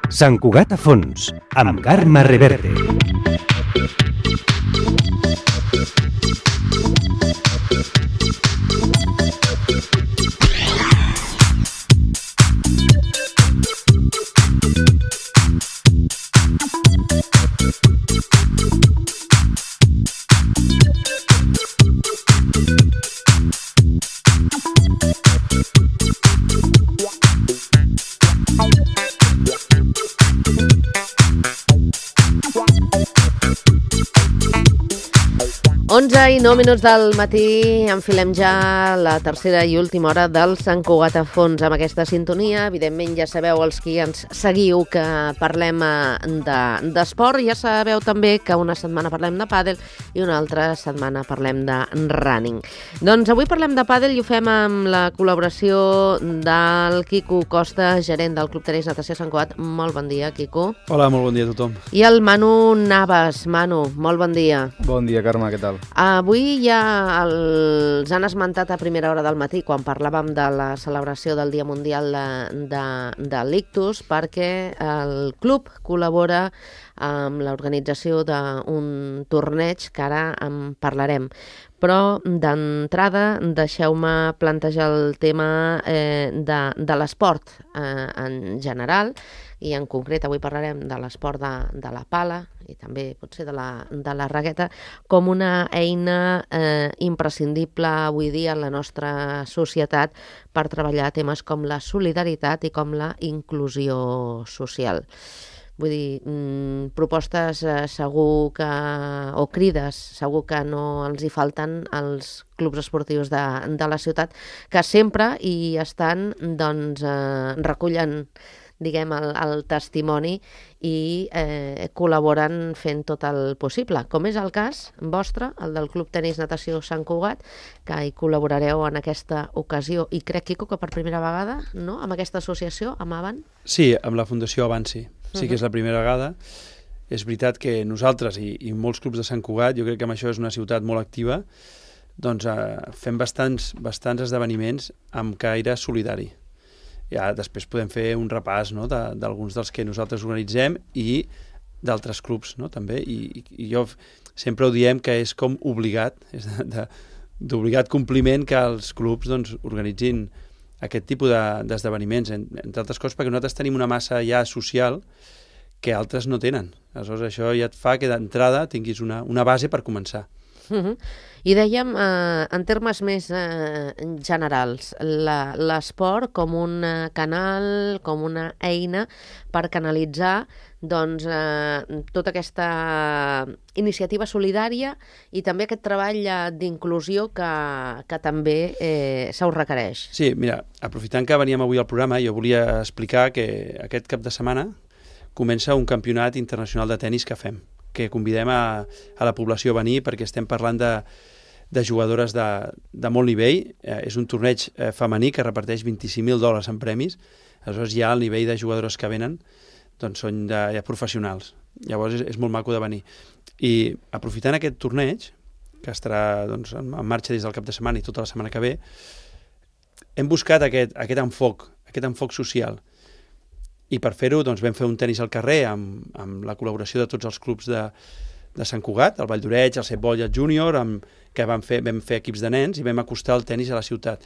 Sant Cugat a fons, amb Carme Reverte. I 9 minuts del matí, enfilem ja la tercera i última hora del Sant Cugat a fons amb aquesta sintonia. Evidentment ja sabeu, els qui ens seguiu, que parlem d'esport. Ja sabeu també que una setmana parlem de pàdel i una altra setmana parlem de running. Doncs avui parlem de pàdel i ho fem amb la col·laboració del Quico Costa, gerent del Club Tenis Natació Sant Cugat. Molt bon dia, Quico. Hola, molt bon dia a tothom. I el Manu Navas. Manu, molt bon dia. Bon dia, Carme, què tal? Avui ja els han esmentat a primera hora del matí, quan parlàvem de la celebració del Dia Mundial de l'Ictus, perquè el club col·labora amb l'organització d'un torneig que ara en parlarem. Però d'entrada deixeu-me plantejar el tema de l'esport en general, i en concret avui parlarem de l'esport de la pala i també potser de la raqueta com una eina imprescindible avui dia en la nostra societat per treballar temes com la solidaritat i com la inclusió social. Vull dir, propostes segur que, o crides, segur que no els hi falten als clubs esportius de la ciutat, que sempre hi estan, doncs, recullen, diguem, el testimoni i col·laboren fent tot el possible, com és el cas vostre, el del Club Tenis Natació Sant Cugat, que hi col·laborareu en aquesta ocasió, i crec, Quico, que per primera vegada, no?, amb aquesta associació, amb Avant? Sí, amb la Fundació Avant, sí. Sí que és la primera vegada. És veritat que nosaltres i molts clubs de Sant Cugat, jo crec que amb això és una ciutat molt activa, doncs fem bastants esdeveniments amb caire solidari. Ja després podem fer un repàs, no?, d'alguns dels que nosaltres organitzem i d'altres clubs, no?, també. I jo sempre ho diem que és com obligat, és d'obligat compliment que els clubs, doncs, organitzin aquest tipus d'esdeveniments, entre altres coses perquè nosaltres tenim una massa ja social que altres no tenen. Aleshores, això ja et fa que d'entrada tinguis una base per començar. I dèiem, en termes més generals, l'esport com un canal, com una eina per canalitzar, doncs, tota aquesta iniciativa solidària i també aquest treball d'inclusió que també se us requereix. Sí, mira, aprofitant que veníem avui al programa, jo volia explicar que aquest cap de setmana comença un campionat internacional de tennis que fem, que convidem a la població a venir perquè estem parlant de jugadores de molt nivell. És un torneig femení que reparteix $25.000 en premis. Aleshores ja el nivell de jugadores que venen doncs són ja professionals. Llavors és molt maco de venir. I aprofitant aquest torneig, que estarà, doncs, en marxa des del cap de setmana i tota la setmana que ve, hem buscat aquest enfoc social. I per fer-ho, doncs, vam fer un tenis al carrer amb la col·laboració de tots els clubs de Sant Cugat, el Vall d'Oreig, el Set Bolla Júnior, que vam fer equips de nens i vam acostar el tenis a la ciutat.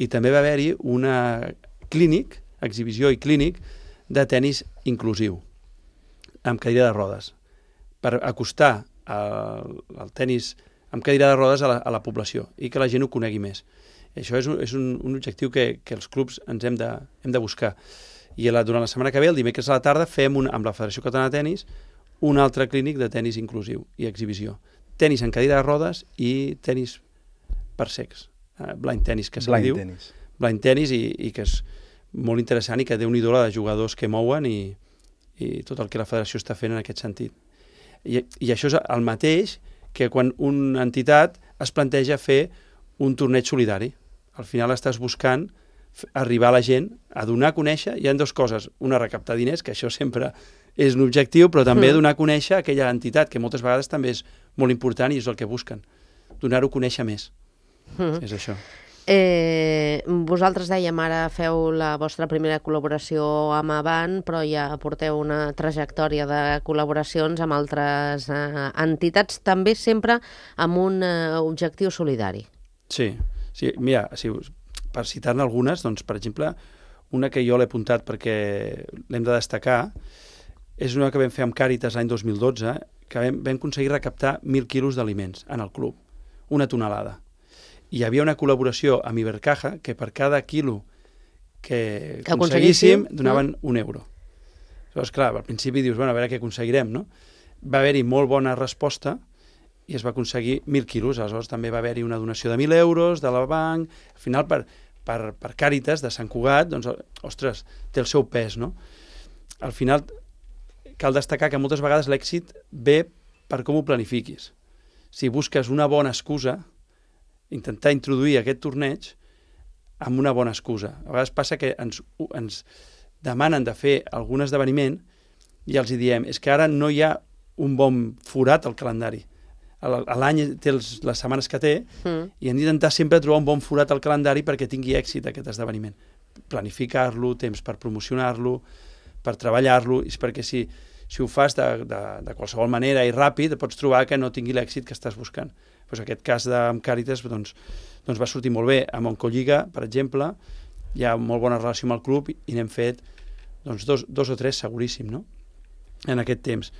I també va haver-hi una exhibició i clínic de tenis inclusiu, amb cadira de rodes, per acostar el tenis amb cadira de rodes a la població i que la gent ho conegui més. Això és un objectiu que els clubs ens hem de buscar. I durant la setmana que ve, el dimecres a la tarda, fem amb la Federació Catalana de Tenis un altre clínic de tenis inclusiu i exhibició. Tenis en cadira de rodes i tenis per cecs. Blind tennis, que se li diu. Blind tennis, i que és molt interessant i que déu-n'hi-do la de jugadors que mouen i tot el que la federació està fent en aquest sentit. I això és el mateix que quan una entitat es planteja fer un torneig solidari. Al final estàs buscant arribar a la gent, a donar a conèixer. Hi ha dues coses. Una, recaptar diners, que això sempre és un objectiu, però també donar a conèixer aquella entitat, que moltes vegades també és molt important i és el que busquen. Donar-ho a conèixer més. És això. Vosaltres dèiem, ara feu la vostra primera col·laboració amb Avant, però ja porteu una trajectòria de col·laboracions amb altres entitats, també sempre amb un objectiu solidari. Sí, mira, per citar-ne algunes, doncs, per exemple, una que jo l'he apuntat perquè l'hem de destacar, és una que vam fer amb Càritas l'any 2012, que vam aconseguir recaptar 1.000 quilos d'aliments en el club, una tonelada. I hi havia una col·laboració amb Ibercaja que per cada quilo que aconseguíssim donaven €1. Llavors, clar, al principi dius, bueno, a veure què aconseguirem, no? Va haver-hi molt bona resposta i es va aconseguir 1.000 quilos. Aleshores també va haver-hi una donació de €1.000 de la banc. Al final, per Càritas de Sant Cugat, doncs, ostres, té el seu pes, no? Al final, cal destacar que moltes vegades l'èxit ve per com ho planifiquis. Si busques una bona excusa, intentar introduir aquest torneig amb una bona excusa. A vegades passa que ens demanen de fer algun esdeveniment i els diem, és que ara no hi ha un bon forat al calendari. L'any té les setmanes que té i hem d'intentar sempre trobar un bon forat al calendari perquè tingui èxit aquest esdeveniment. Planificar-lo, temps per promocionar-lo, per treballar-lo, és perquè si ho fas de qualsevol manera i ràpid, pots trobar que no tingui l'èxit que estàs buscant. Doncs aquest cas amb Càritas doncs va sortir molt bé. Amb Oncolliga, per exemple, hi ha molt bona relació amb el club i n'hem fet doncs, dos o tres seguríssim, no? En aquest temps.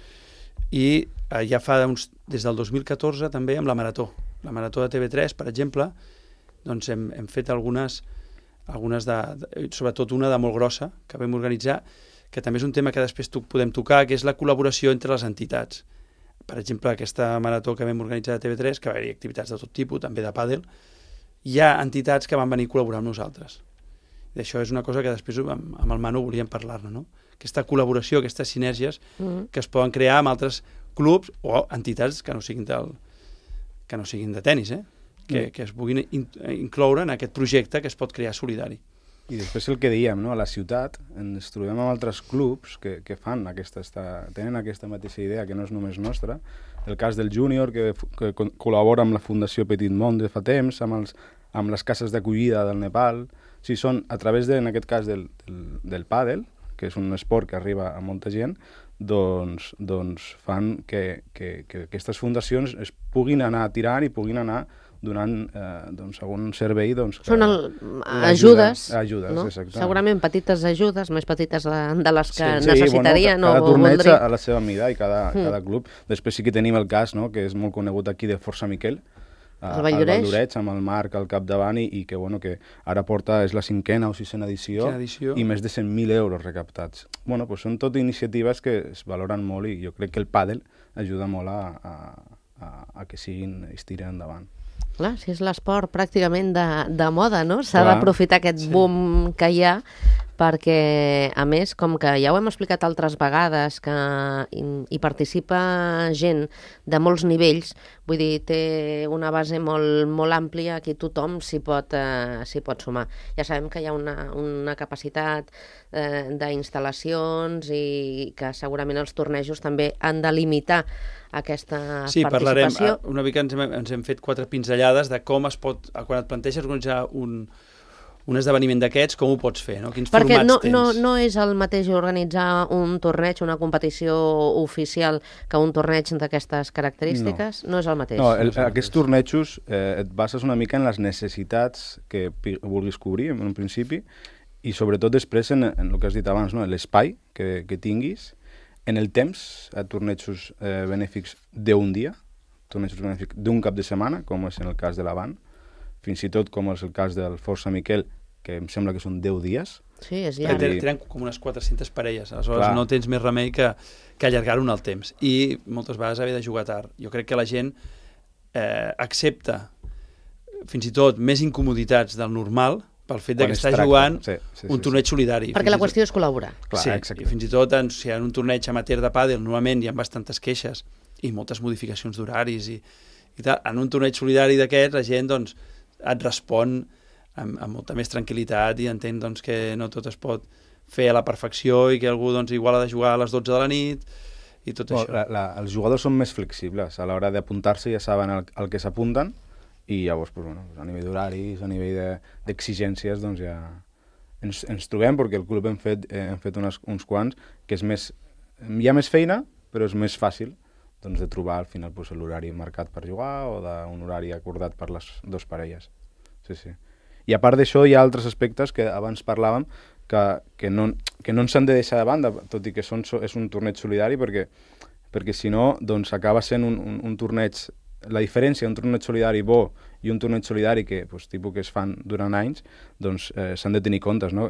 I ja fa des del 2014 també amb la Marató. La Marató de TV3, per exemple, doncs hem fet algunes sobretot una de molt grossa que vam organitzar, que també és un tema que després podem tocar, que és la col·laboració entre les entitats. Per exemple, aquesta marató que vam organitzar a TV3, que va haver-hi activitats de tot tipus, també de pàdel, hi ha entitats que van venir a col·laborar amb nosaltres. I això és una cosa que després amb el Manu volíem parlar-ne, no? Aquesta col·laboració, aquestes sinergies que es poden crear amb altres clubs o entitats que no siguin de tenis, que es puguin incloure en aquest projecte que es pot crear solidari. I després el que dèiem, no? A la ciutat ens trobem amb altres clubs que tenen aquesta mateixa idea, que no és només nostra. El cas del Júnior, que col·labora amb la Fundació Petit Món de fa temps, amb les cases d'acollida del Nepal. Sí, són a través, en aquest cas, del pàdel, que és un esport que arriba a molta gent, doncs fan que aquestes fundacions es puguin anar tirant i puguin anar donant algun servei. Són ajudes, no? Segurament petites ajudes, més petites de les que necessitarien. Cada torneig a la seva mida i cada club. Després sí que tenim el cas, no?, que és molt conegut aquí, de Força Miquel, al Valldoreix, amb el Marc al capdavant, i que ara és la 5ª o 6ª edició i més de 100.000 euros recaptats. Són tot iniciatives que es valoren molt i jo crec que el pàdel ajuda molt a que es tiren endavant. Clar, si és l'esport pràcticament de moda, no? S'ha d'aprofitar aquest boom que hi ha, perquè, a més, com que ja ho hem explicat altres vegades, que hi participa gent de molts nivells, vull dir, té una base molt àmplia, aquí tothom s'hi pot sumar. Ja sabem que hi ha una capacitat d'instal·lacions i que segurament els tornejos també han de limitar aquesta participació. Sí, parlarem una mica, ens hem fet 4 pinzellades de com es pot, quan et planteges organitzar un esdeveniment d'aquests, com ho pots fer, no? Quins formats tens? Perquè no és el mateix organitzar un torneig, una competició oficial, que un torneig d'aquestes característiques? No és el mateix. No, aquests tornejos et bases una mica en les necessitats que vulguis cobrir, en un principi, i sobretot després en el que has dit abans, no? L'espai que tinguis, en el temps, tornejos benèfics d'un dia, tornejos benèfics d'un cap de setmana, com és en el cas de l'Avant, fins i tot com és el cas del Força Miquel, que em sembla que són 10 dies. Sí, és llarg. Tenen com unes 400 parelles, aleshores no tens més remei que allargar-ho en el temps. I moltes vegades haver de jugar tard. Jo crec que la gent accepta fins i tot més incomoditats del normal pel fet que està jugant un torneig solidari. Perquè la qüestió és col·laborar. Sí, i fins i tot si en un torneig amateur de pàdel normalment hi ha bastantes queixes i moltes modificacions d'horaris i tal. En un torneig solidari d'aquests la gent et respon amb molta més tranquil·litat i entén que no tot es pot fer a la perfecció i que algú igual ha de jugar a les 12 de la nit i tot això. Els jugadors són més flexibles. A l'hora d'apuntar-se ja saben al que s'apunten i llavors, pues, bueno, a nivell d'horaris, a nivell d'exigències, doncs ja ens trobem, perquè el club hem fet uns quants, que és més, hi ha més feina, però és més fàcil doncs, de trobar al final pues, l'horari marcat per jugar o d'un horari acordat per les dues parelles. Sí, sí. I a part d'això hi ha altres aspectes que abans parlàvem que no ens han de deixar de banda, tot i que és un torneig solidari, perquè si no doncs acaba sent un torneig. La diferència entre un torneig solidari bo i un torneig solidari que, pues, tipus que es fan durant anys, doncs s'han de tenir comptes, no?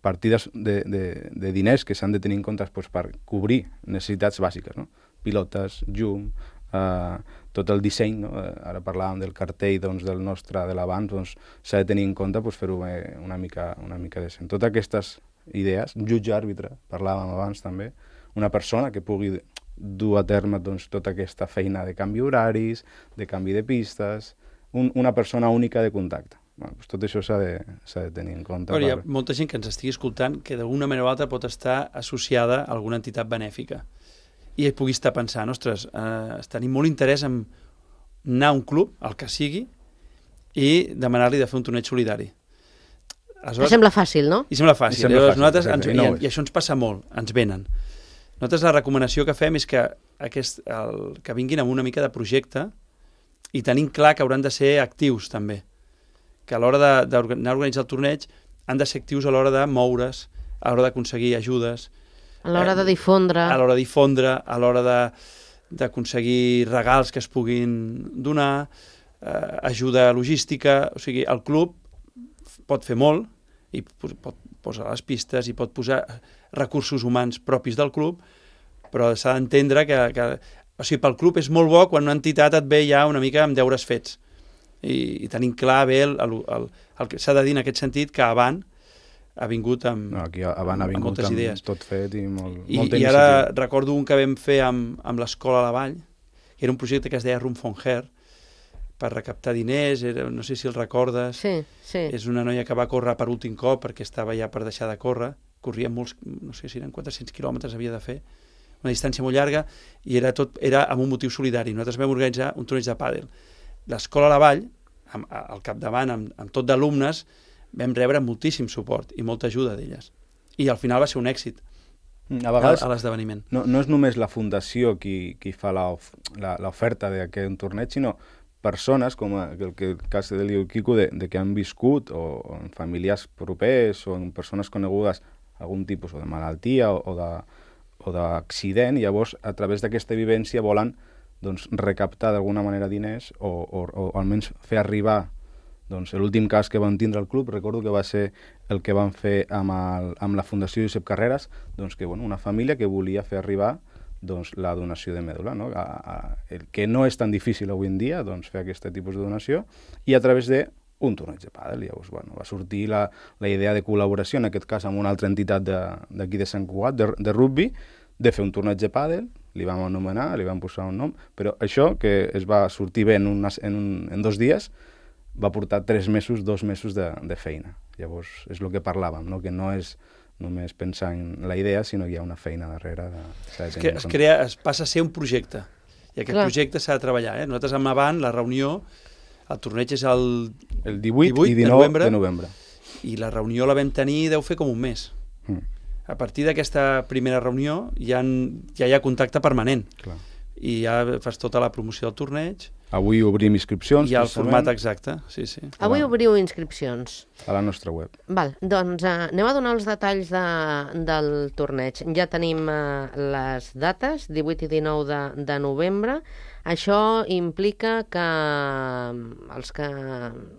Partides de diners que s'han de tenir en compte pues, per cobrir necessitats bàsiques, no? Pilotes, llum, tot el disseny, no? Ara parlàvem del cartell doncs, del nostre de l'abans, doncs s'ha de tenir en compte pues, fer-ho una mica decent. Totes aquestes idees, jutge àrbitre, parlàvem abans també, una persona que pugui dur a terme doncs, tota aquesta feina de canvi horaris, de canvi de pistes, una persona única de contacte. Bueno, doncs tot això s'ha de tenir en compte. Però hi ha molta gent que ens estigui escoltant que d'alguna manera o altra pot estar associada a alguna entitat benèfica i pugui estar pensant, ostres, tenim molt interès en anar a un club, el que sigui, i demanar-li de fer un torneig solidari. Aleshores, sembla fàcil, no? I sembla fàcil. I això ens passa molt, ens venen. Nosaltres la recomanació que fem és que vinguin amb una mica de projecte i tenim clar que hauran de ser actius també, que a l'hora d'anar a organitzar el torneig han de ser actius a l'hora de moure's, a l'hora d'aconseguir ajudes, a l'hora de difondre, a l'hora d'aconseguir regals que es puguin donar, ajuda logística. O sigui, el club pot fer molt i pot posar les pistes i pot posar recursos humans propis del club, però s'ha d'entendre que o sigui, pel club és molt bo quan una entitat et ve ja una mica amb deures fets i tenim clar bé el que s'ha de dir en aquest sentit, que Avant ha vingut amb moltes idees. Tot fet i molta iniciativa. I ara recordo un que vam fer amb l'Escola a la Vall, que era un projecte que es deia Run for Her, per recaptar diners, no sé si el recordes. Sí. És una noia que va córrer per últim cop perquè estava ja per deixar de córrer, corria molts, no sé si eren 400 quilòmetres havia de fer, una distància molt llarga, i era amb un motiu solidari. Nosaltres vam organitzar un torneig de pàdel. L'Escola a la Vall, al capdavant, amb tot d'alumnes, vam rebre moltíssim suport i molta ajuda d'elles. I al final va ser un èxit a l'esdeveniment. No és només la fundació qui fa l'oferta d'aquest torneig, sinó persones, com el cas de l'Iu Quico, que han viscut, o en familiars propers, o en persones conegudes, algun tipus de malaltia o d'accident, i llavors, a través d'aquesta vivència, volen recaptar d'alguna manera diners o almenys fer arribar. L'últim cas que vam tindre al club, recordo que va ser el que vam fer amb la Fundació Josep Carreras, que una família que volia fer arribar la donació de mèdula, el que no és tan difícil avui en dia fer aquest tipus de donació, i a través d'un torneig de pàdel. Llavors va sortir la idea de col·laboració, en aquest cas amb una altra entitat d'aquí de Sant Cugat, de rugby, de fer un torneig de pàdel. Li vam anomenar, li vam posar un nom, però això, que es va sortir bé en 2 dies, va portar 2 mesos de feina. Llavors, és el que parlàvem, que no és només pensar en la idea, sinó que hi ha una feina darrere. Es passa a ser un projecte, i aquest projecte s'ha de treballar. Nosaltres amb Avant, la reunió, el torneig és el 18 i 19 de novembre. I la reunió la vam tenir, deu fer com un mes. A partir d'aquesta primera reunió ja hi ha contacte permanent. Clar. I ja fas tota la promoció del torneig. Avui obrim inscripcions. Hi ha el format exacte, sí. Avui obriu inscripcions. A la nostra web. Val, doncs anem a donar els detalls del torneig. Ja tenim les dates, 18 i 19 de novembre. Això implica que els que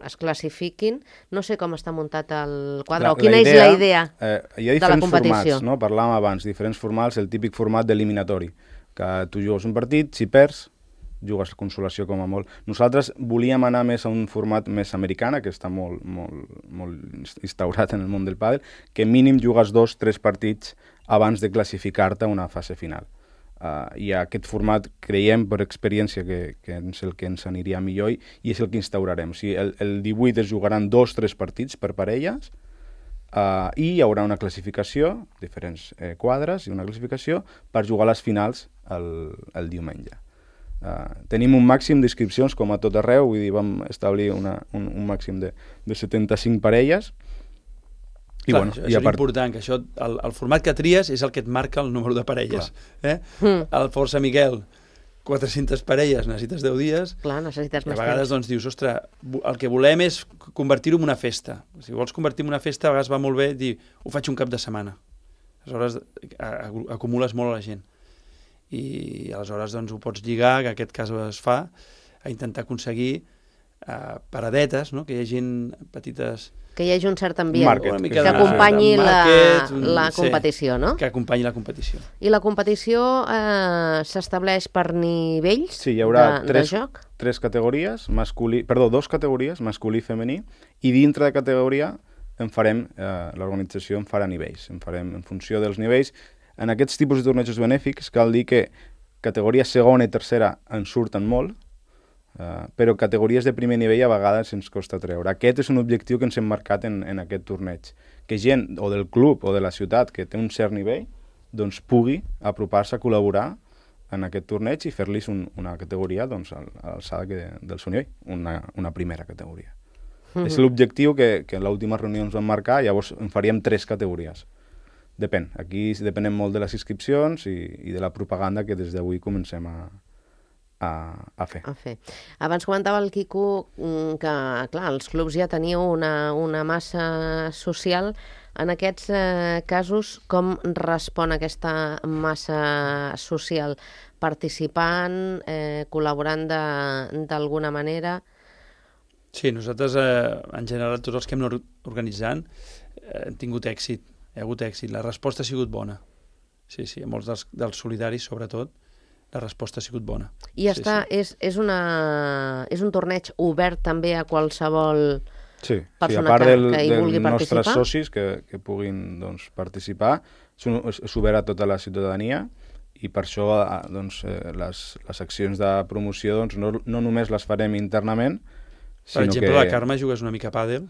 es classifiquin, no sé com està muntat el quadre, o quina és la idea de la competició. Hi ha diferents formats, no? Parlàvem abans, diferents formats, el típic format d'eliminatori, que tu jugues un partit, si perds, jugues a consolació com a molt. Nosaltres volíem anar més a un format més americana, que està molt instaurat en el món del pàdel, que mínim jugues 2-3 partits abans de classificar-te a una fase final. I aquest format creiem per experiència que és el que ens aniria millor i és el que instaurarem. O sigui, el 18 es jugaran 2-3 partits per parelles i hi haurà una classificació, diferents quadres i una classificació per jugar a les finals el diumenge. tenim un màxim d'inscripcions com a tot arreu, vull dir, vam establir un màxim de 75 parelles. I, clar, bueno, això és important, que això, el format que tries és el que et marca el número de parelles. El Força Miquel, 400 parelles, necessites 10 dies. Clar, necessites més temps. A vegades doncs, dius, ostres, el que volem és convertir-ho en una festa. Si vols convertir en una festa, a vegades va molt bé dir, ho faig un cap de setmana. Aleshores, acumules molt a la gent. I aleshores doncs, ho pots lligar, que en aquest cas es fa, a intentar aconseguir paradetes, no? Que hi hagi petites... Que hi hagi un cert ambient, market, que acompanyi la competició, no? Que acompanyi la competició. I la competició s'estableix per nivells sí, hi haurà de joc? Tres categories, dos categories, masculí i femení, i dintre de categoria l'organització en farà nivells, en funció dels nivells. En aquests tipus de tornejos benèfics cal dir que categories segona i tercera en surten molt, però categories de primer nivell a vegades ens costa treure. Aquest és un objectiu que ens hem marcat en aquest torneig. Que gent, o del club o de la ciutat, que té un cert nivell, doncs pugui apropar-se a col·laborar en aquest torneig i fer-los una categoria doncs, a l'alçada del seu nivell, una primera categoria. És l'objectiu que en l'última reunió ens vam marcar, llavors en faríem 3 categories. Depèn. Aquí depenem molt de les inscripcions i de la propaganda que des d'avui comencem a fer. Abans comentava el Quico que, clar, els clubs ja teniu una massa social. En aquests casos, com respon aquesta massa social? Participant, col·laborant d'alguna manera? Sí, nosaltres, en general, tots els que hem anat organitzant, hem tingut èxit, hi ha hagut èxit. La resposta ha sigut bona. Sí, a molts dels solidaris, sobretot, la resposta ha sigut bona. I és un torneig obert també a qualsevol persona que hi vulgui participar? dels nostres socis que puguin doncs, participar. És obert a tota la ciutadania i per això doncs, les accions de promoció doncs, no només les farem internament, per exemple, la Carme jugues una mica a pàdel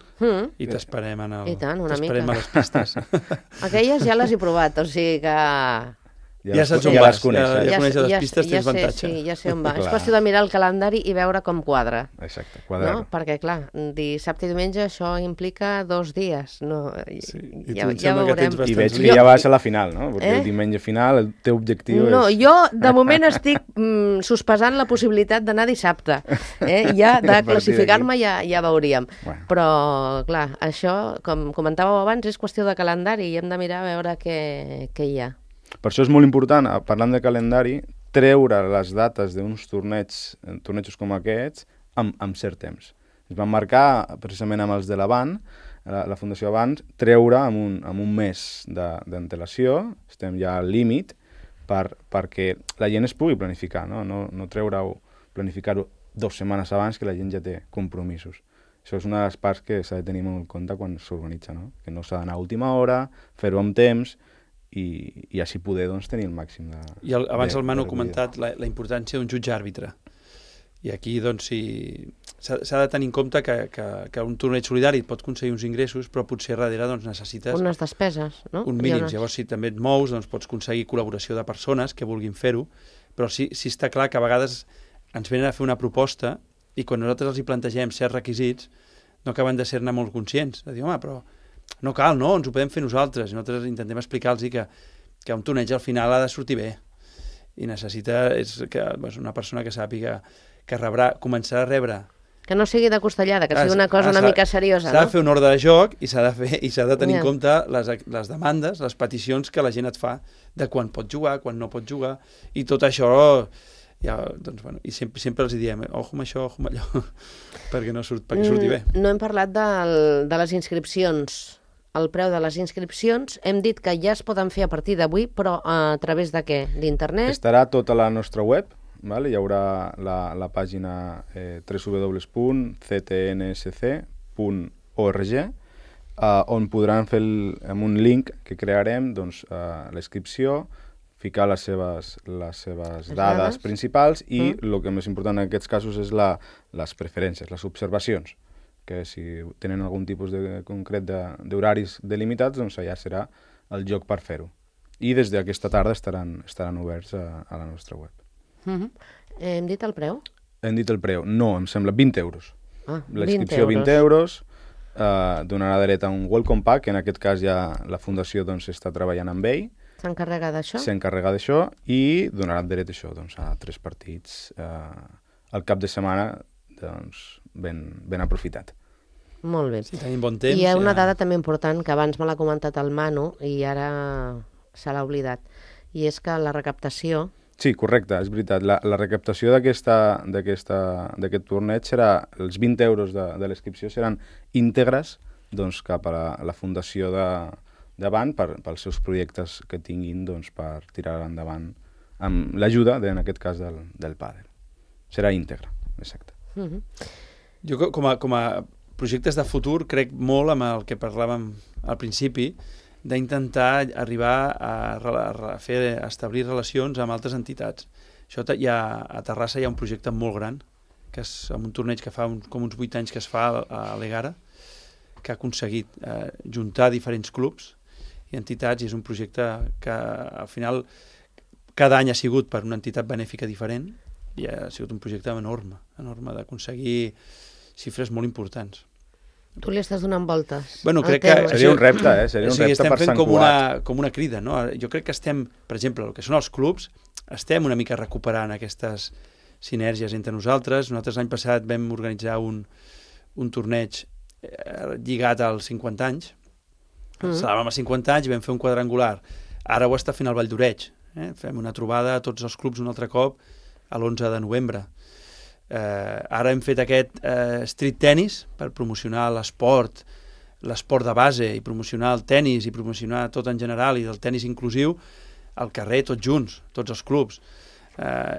i t'esperem a les pistes. Aquelles ja les he provat, o sigui que... Ja saps on vas, ja coneixes les pistes, tens avantatge. Sí, ja sé on va. És qüestió de mirar el calendari i veure com quadra. Exacte, quadrar. No? Perquè, clar, dissabte i diumenge això implica 2 dies. No? Ja veurem. I veig que ja vas a la final, no? Perquè el diumenge final el teu objectiu és... No, jo de moment estic sospesant la possibilitat d'anar dissabte. Ja de classificar-me ja veuríem. Però, clar, això, com comentàveu abans, és qüestió de calendari i hem de mirar a veure què hi ha. Per això és molt important, parlant de calendari, treure les dates d'uns tornejos com aquests amb cert temps. Es van marcar, precisament amb els de l'Avant, la Fundació Avant, treure amb un mes d'antelació, estem ja al límit, perquè la gent es pugui planificar, no treure-ho, planificar-ho 2 setmanes abans que la gent ja té compromisos. Això és una de les parts que s'ha de tenir molt en compte quan s'organitza, no? Que no s'ha d'anar a última hora, fer-ho amb temps, i així poder doncs, tenir el màxim de... I abans el Manu ha comentat la importància d'un jutge àrbitre. I aquí doncs, s'ha de tenir en compte que un torneig solidari et pot aconseguir uns ingressos, però potser darrere doncs, necessites... unes despeses, no? Un mínim. Llavors, si també et mous, doncs, pots aconseguir col·laboració de persones que vulguin fer-ho, però sí està clar que a vegades ens venen a fer una proposta i quan nosaltres els hi plantegem certs requisits no acaben de ser-ne molt conscients. De dir, home, però... no cal, no, ens ho podem fer nosaltres. I nosaltres intentem explicar-los que un torneig al final ha de sortir bé i necessita una persona que sàpiga que començarà a rebre... Que no sigui de costellada, que sigui una cosa una mica seriosa, no? S'ha de fer un ordre de joc i s'ha de tenir en compte les demandes, les peticions que la gent et fa de quan pot jugar, quan no pot jugar, i tot això... i sempre els diem, ojo amb això, ojo amb allò, perquè surti bé. No hem parlat de les inscripcions. El preu de les inscripcions, hem dit que ja es poden fer a partir d'avui, però a través de què? D'internet? Estarà tota la nostra web, hi haurà la pàgina www.ctnsc.org, on podran fer amb un link que crearem la inscripció, ficar les seves dades principals i el que més important en aquests casos és les preferències, les observacions, que si tenen algun tipus concret d'horaris delimitats, doncs allà serà el lloc per fer-ho. I des d'aquesta tarda estaran oberts a la nostra web. Hem dit el preu? Hem dit el preu. No, em sembla 20 euros. Ah, La inscripció 20 euros, donarà dret a un welcome pack, en aquest cas ja la Fundació doncs, està treballant amb ell. S'encarrega d'això? S'encarrega d'això i donarà dret a això, doncs, a 3 partits al cap de setmana doncs, ben aprofitat. Molt bé. Si tenim bon temps... I hi ha una dada també important que abans me l'ha comentat el Manu i ara se l'ha oblidat, i és que la recaptació... Sí, correcte, és veritat. La recaptació d'aquest torneig serà... Els 20 euros de l'inscripció seran íntegres doncs, cap a la fundació davant pels seus projectes que tinguin doncs, per tirar endavant amb l'ajuda, en aquest cas, del pàdel. Serà íntegre, exacte. Jo, com a projectes de futur, crec molt amb el que parlàvem al principi, d'intentar arribar a establir relacions amb altres entitats. A Terrassa hi ha un projecte molt gran, que és amb un torneig que fa com uns 8 anys que es fa a l'Egara, que ha aconseguit juntar diferents clubs i entitats, i és un projecte que al final cada any ha sigut per una entitat benèfica diferent i ha sigut un projecte enorme d'aconseguir xifres molt importants. Tu li estàs donant voltes. Bueno, crec que seria un repte, seria un repte per Sant Cugat. Com una crida, no? Jo crec que estem, per exemple, el que són els clubs, estem una mica recuperant aquestes sinergies entre nosaltres. Nosaltres l'any passat vam organitzar un torneig lligat als 50 anys. Celebràvem els 50 anys i vam fer un quadrangular. Ara ho està fent el Vall d'Oreig. Fem una trobada a tots els clubs un altre cop a l'11 de novembre. Ara hem fet aquest street tennis per promocionar l'esport de base i promocionar el tennis i promocionar tot en general i el tennis inclusiu al carrer tots junts, tots els clubs.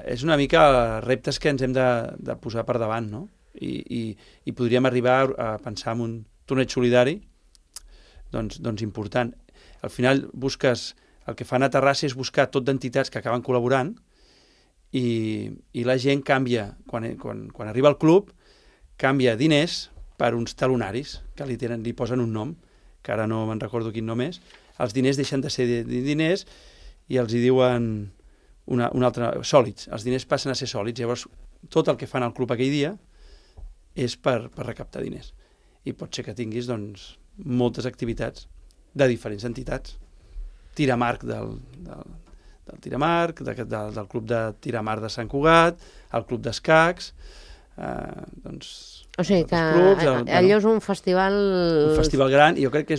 És una mica reptes que ens hem de posar per davant, no? I podríem arribar a pensar en un torneig solidari doncs important. Al final el que fan a Terrassa és buscar tot d'entitats que acaben col·laborant i la gent canvia, quan arriba al club, canvia diners per uns talonaris, que li posen un nom, que ara no me'n recordo quin nom és. Els diners deixen de ser diners i els hi diuen un altre, sòlids. Els diners passen a ser sòlids. Llavors, tot el que fan al club aquell dia és per recaptar diners. I pot ser que tinguis doncs, moltes activitats de diferents entitats. Tiramarc del Tiramarc, del club de Tiramarc de Sant Cugat, el club d'escacs, o sigui que allò és un festival... Un festival gran, i jo crec que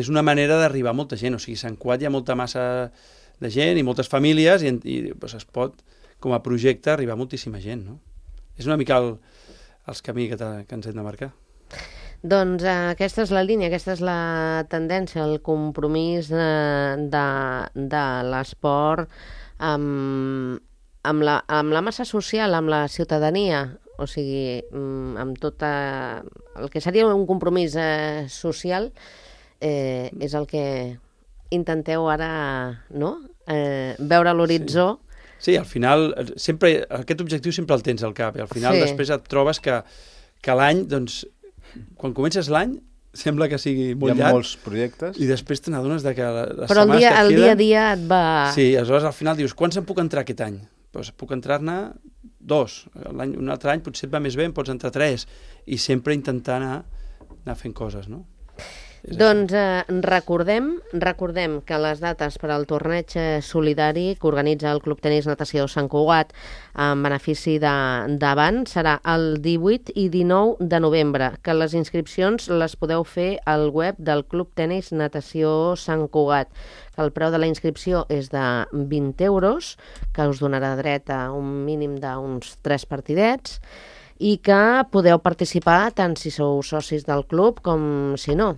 és una manera d'arribar a molta gent. O sigui, a Sant Cugat hi ha molta massa de gent i moltes famílies i doncs es pot, com a projecte, arribar a moltíssima gent, no? És una mica els camí que ens hem de marcar. Doncs aquesta és la línia, aquesta és la tendència, el compromís de l'esport amb la massa social, amb la ciutadania, o sigui, amb tot el que seria un compromís social, és el que intenteu ara, no? Veure a l'horitzó. Sí, al final, aquest objectiu sempre el tens al cap, i al final després et trobes que l'any, doncs, quan comences l'any, sembla que sigui molt llarg. Hi ha molts projectes. I després te n'adones que les però setmanes que et queden... Però el dia a dia et va... Sí, aleshores al final dius, quants en puc entrar aquest any? Doncs puc entrar-ne 2. Un altre any potser et va més bé, en pots entrar 3. I sempre intentar anar fent coses, no? Doncs recordem que les dates per al torneig solidari que organitza el Club Tenis Natació Sant Cugat en benefici d'Avant serà el 18 i 19 de novembre, que les inscripcions les podeu fer al web del Club Tenis Natació Sant Cugat, que el preu de la inscripció és de 20 euros, que us donarà dret a un mínim d'uns 3 partidets, i que podeu participar tant si sou socis del club com si no.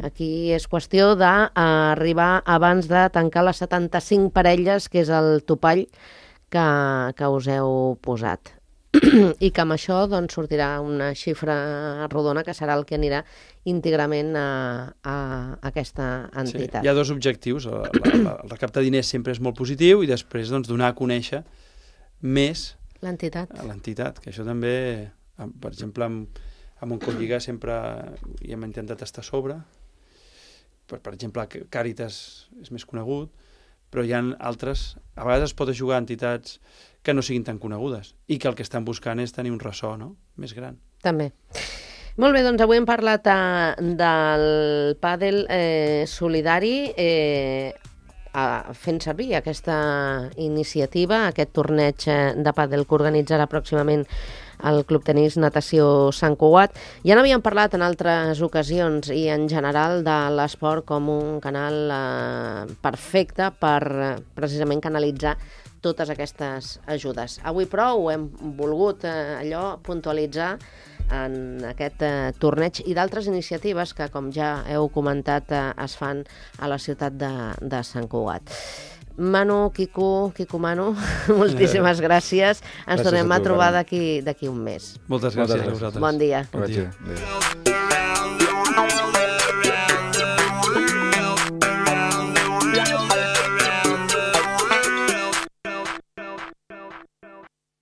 Aquí és qüestió d'arribar abans de tancar les 75 parelles, que és el topall que us heu posat. I que amb això doncs, sortirà una xifra rodona que serà el que anirà íntegrament a aquesta entitat. Sí, hi ha 2 objectius. El recaptar diners sempre és molt positiu i després doncs, donar a conèixer més l'entitat, que això també, per exemple, amb Montcolliga sempre hi hem intentat estar a sobre. Per exemple, Càritas és més conegut, però hi ha altres. A vegades es pot ajudar a entitats que no siguin tan conegudes i que el que estan buscant és tenir un ressò, no?, més gran. També. Molt bé, doncs avui hem parlat del pàdel solidari, fent servir aquesta iniciativa, aquest torneig de pàdel que organitzarà pròximament el Club Tenis Natació Sant Cugat. Ja n'havíem parlat en altres ocasions i en general de l'esport com un canal perfecte per precisament canalitzar totes aquestes ajudes. Avui, però, ho hem volgut puntualitzar en aquest torneig i d'altres iniciatives que, com ja heu comentat, es fan a la ciutat de Sant Cugat. Manu, Quico, Manu, moltíssimes gràcies. Ens tornem a trobar d'aquí un mes. Moltes gràcies a vosaltres. Bon dia. Bon dia.